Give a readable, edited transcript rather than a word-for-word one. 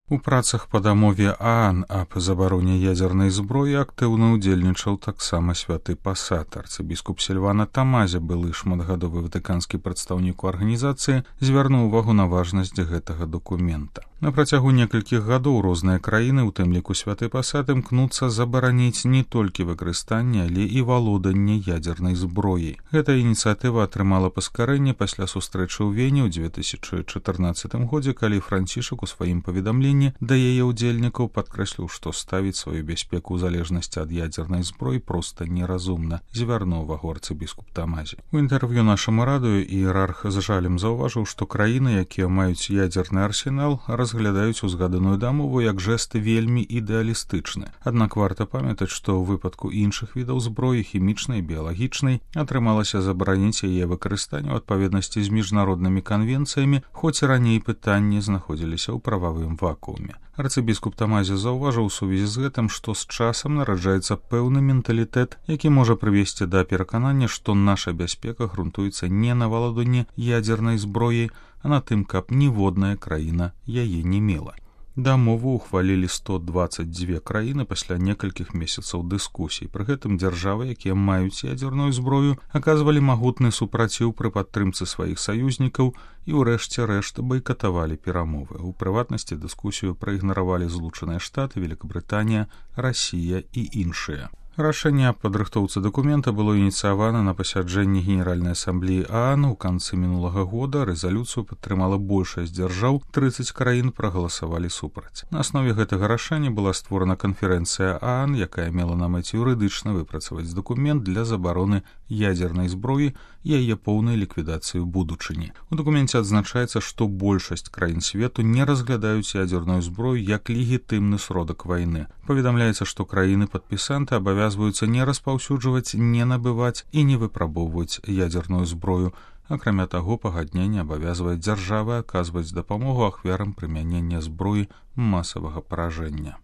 У працах па дамове ААН аб забароне ядзернай зброі актыўна ўдзельнічаў таксама святы пасат. Арцыбіскуп Сільвана Тамазі, былы шматгадовы ватыканскі прадстаўнік у арганізацыі, звярнуў увагу на важнасць гэтага дакумента. На працягу некалькіх гадоў розныя краіны, у тым ліку святы пасат, імкнуцца забараніць не толькі выкарыстанне, але і валоданне ядзернай зброяй. Гэта ініцыятыва атрымала паскарэнне пасля сустрэчы ў Вене ў 2014 годзе, калі Францішак у сваім паведамленні да яе ўдзельнікаў падкрэсліў, што ставіць сваю бяспеку ў залежнасці ад ядзернай зброі проста неразумна, звярнуў увагу арцыбіскуп Тамазі. У інтэрв'ю нашаму радыё іерарх з жалем заўважыў, што краіны, якія маюць ядзерны арсенал, разглядаюць узгаданую дамову як жэст вельмі ідэалістычны. Аднак варта памятаць, што ў выпадку іншых відаў зброі, хімічнай, біялагічнай, атрымалася забараніць яе выкарыстанне ў адпаведнасці з міжнароднымі канвенцыямі, хоць і раней пытанні знаходзіліся ў прававым вакууме. Арцыбіскуп Тамазі заўважыў у сувязі з гэтым, што з часам нараджаецца пэўны менталітэт, які можа прывесці да пераканання, што наша бяспека грунтуецца не на валоданні ядзернай зброяй, а на тым, каб ніводная краіна яе не мела. Дамову ухвалілі 122 краіны пасля некалькіх месяцаў дыскусій. Пры гэтым дзяржавы, якія маюць ядзерную зброю, аказвалі магутны супраціў пры падтрымцы сваіх саюзнікаў і ўрэшце рэшт байкатавалі перамовы. У прыватнасці дыскусію праігнаравалі Злучаныя Штаты, Великабрытанія, Расія і іншыя. Рашэнне аб падрыхтоўцы дакумента было ініцыявана на пасяджэнні Генеральнай асамблеі ААН у канцы мінулага года. Рэзалюцыю падтрымала большасць дзяржаў, 30 краін прагаласавалі супраць. На аснове гэтага рашэння была створана канферэнцыя ААН, якая мела на мэце юрыдычна выпрацаваць дакумент для забароны ядзернай зброі і яе поўнай ліквідацыі ў будучыні. У дакуменце адзначаецца, што большасць краін свету не разглядаюць ядзерную зброю як легітымны сродак вайны. Паведамляецца, што краіны-падпісанты абавязваюцца не распаўсюджваць, не набываць і не выпрабоўваць ядзерную зброю. Акрамя таго, пагадненне абавязвае дзяржавы аказваць дапамогу ахвярам прымянення зброі масавага паражэння.